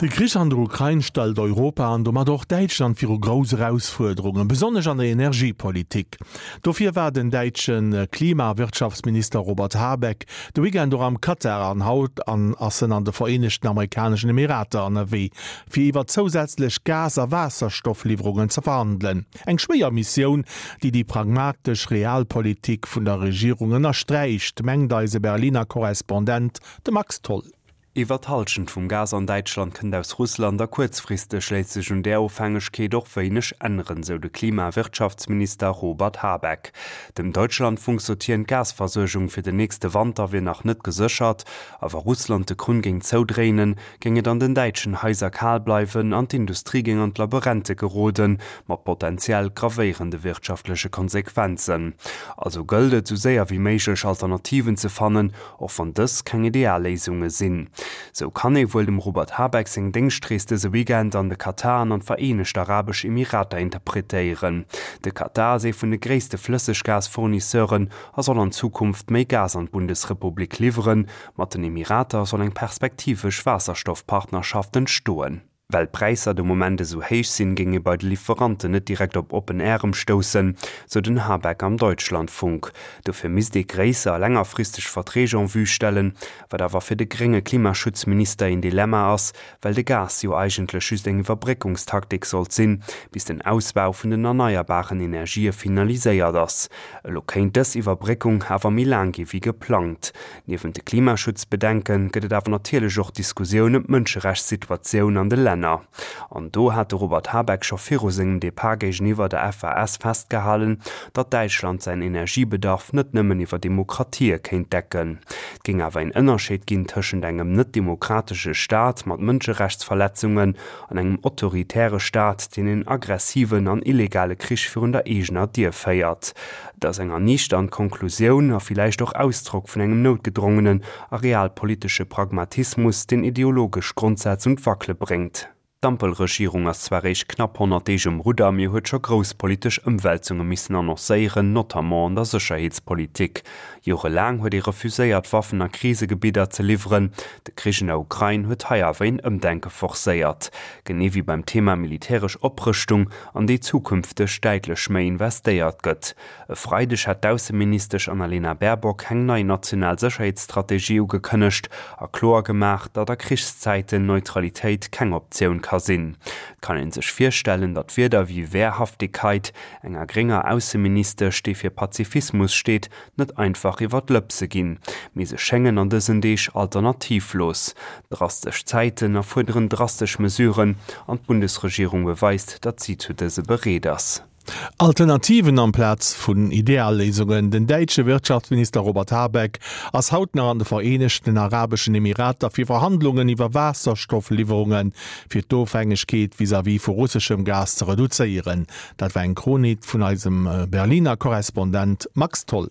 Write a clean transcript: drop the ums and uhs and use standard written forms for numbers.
De Krich an der Ukrain stellt Europa an domat och Däitschland viru grouss Erausfuerderungen, besonnesch an der Energiepolitik. Dofir war den däitsche Klima a Wirtschaftsminister Robert Habeck de Weekend och am Katar an haut an ass en an de Vereenegten Amerikaneschen Emirater ënnerwee, fir iwwer zousätzlech Gas a Waasserstoffliwwerungen ze verhandelen. Eng schwéier Missioun, déi déi pragmatesch Realpolitik vun der Regierung ënnersträicht, mengt eise Berliner Korrespondent, de Max Tholl. Iwwer d'Hallschent vum Gas an Däitschland kënnt aus Russland a kuerzfristeg léisst sech un där Ofhängegkeet och wéineg änneren, sou de Klima a Wirtschaftsminister Robert Habeck. Dem Deutschlandfunk sot hien, d'Gasversuergung fir den nächste Wanter wier nach net geséchert a wa Russland de Krunn géing zoudréinen, géing et an den däitschen Haiser kal bleiwen an d'Industrie géing an d'Laberente geroden, mat potentiell gravéierende wirtschaftleche Konsequenzen. Also gëllt et, sou séier wéi méiglech Alternativen ze fannen, och wann dës keng ideal Léisunge sinn. Sou kann ee wuel dem Robert Habeck seng Déngschtrees dëse Weekend an de Katar an an d'Vereenegt Arabesch Emirater interpretéieren. De Katar ass ee vun de gréisste Flësseggasfournisseuren a soll an Zukunft méi Gas an d'Bundesrepublik liwweren. Mat den Emirater soll eng perspektivesch Waasserstoffpartnerschaft entstoen. Well d'Präisser de Moment esou héich sinn, géing ee bei de Liwweranten net direkt op oppen Ärem stoussen, sou den Habeck am Deutschlandfunk. Dofir misst ee gréisser a längerfristeg Verträg en vue stellen, wat awer fir de grénge Klimaschutzminister een Dilemma ass, well de Gas jo eigentlech just eng Iwwerbréckungstaktik sollt sinn, bis den Ausbau vun den erneierbaren Energië finaliséiert ass. Elo kéint dës Iwwerbréckung awer méi laang gi wéi geplangt. Niewent de Klimaschutzbedenke gëtt et awer natierlech och Diskussioun ëm d'Mënscherechtssituatioun an de Länner. An do hat de Robert Habeck scho viru sengem Depart géigeniwwer der FAS festgehalen, datt Däitschland säin Energiebedarf net nëmmen iwwer Demokratië kéint decken. Et géing awer een Ënnerscheed ginn tëschent engem net-demokratesche Staat mat Mënscherechtsverletzungen an engem autoritäre Staat, deen een aggressiven an illegale Krich virun der eegener Dier féiert. Et ass eng erniichternd Konklusioun a villäicht och Ausdrock vun engem noutgedrongenen a realpolitesche Pragmatismus, deen ideologesch Grondsätz un d'Wackele bréngt. D'Ampelregierung ass zwar réischt knapp 100 Deeg um Rudder, mee huet scho grouss politesch Ëmwälzunge missen annoncéieren, notamment an der Sécherheetspolitik. Jorelaang huet ee refuséiert, Waffen a Krisegebidder ze liwweren. De Krich an der Ukrain huet hei awer een Ëmdenke forcéiert. Genee wéi beim Thema militäresch Oprëschtung, an déi zukünfteg däitlech méi investéiert gëtt. E Freideg hat d'Ausseministesch Annalena Baerbock eng nei national Sécherheetsstrategie ugekënnegt a kloer gemaach, datt a Krichszäiten Neutralitéit keng Optioun ka sinn. Et kann ee sech virstellen, datt Wierder wéi Wehrhaftigkeit enger grénger Ausseministesch, déi fir Pazifismus steet, net einfach iwwer d'Lëpse ginn, mee se schéngen an dësen Deeg alternativlos. Drastesch Zäiten erfuerderen drastesch Mesuren an d'Bundesregierung beweist, datt si zu dëse bereet ass. Alternativen amplaz vun Idealléisungen, Den däitsche Wirtschaftsminister Robert Habeck ass haut nach an de Vereenegten Arabeschen Emirater fir Verhandlungen iwwer Waasserstoffliwwerunge fir d'Ofhängegkeet vis-à-vis vu russeschem Gas ze reduzéieren. Dat war eng Chronik vun eisem Berliner Korrespondent Max Tholl.